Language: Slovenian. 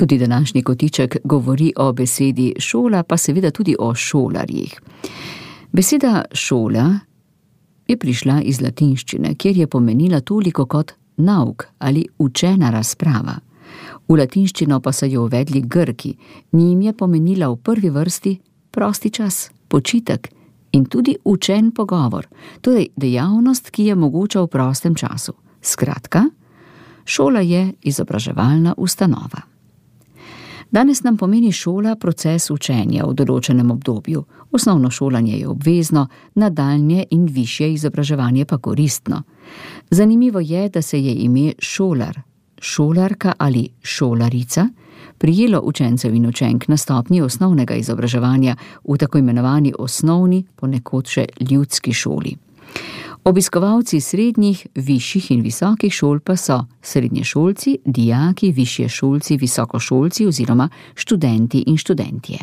Tudi današnji kotiček govori o besedi šola, pa seveda tudi o šolarjih. Beseda šola je prišla iz latinščine, kjer je pomenila toliko kot nauk ali učena razprava. V latinščino pa so jo uvedli Grki, njim je pomenila v prvi vrsti prosti čas, počitek in tudi učen pogovor, torej dejavnost, ki je mogoča v prostem času. Skratka, šola je izobraževalna ustanova. Danes nam pomeni šola proces učenja v določenem obdobju. Osnovno šolanje je obvezno, nadaljnje in višje izobraževanje pa koristno. Zanimivo je, da se je ime šolar, šolarka ali šolarica prijelo učencev in učenk na stopnji osnovnega izobraževanja v tako imenovani osnovni, ponekod še ljudski šoli. Obiskovalci srednjih, višjih in visokih šol pa so srednješolci, dijaki, višješolci, visokošolci oziroma študenti in študentje.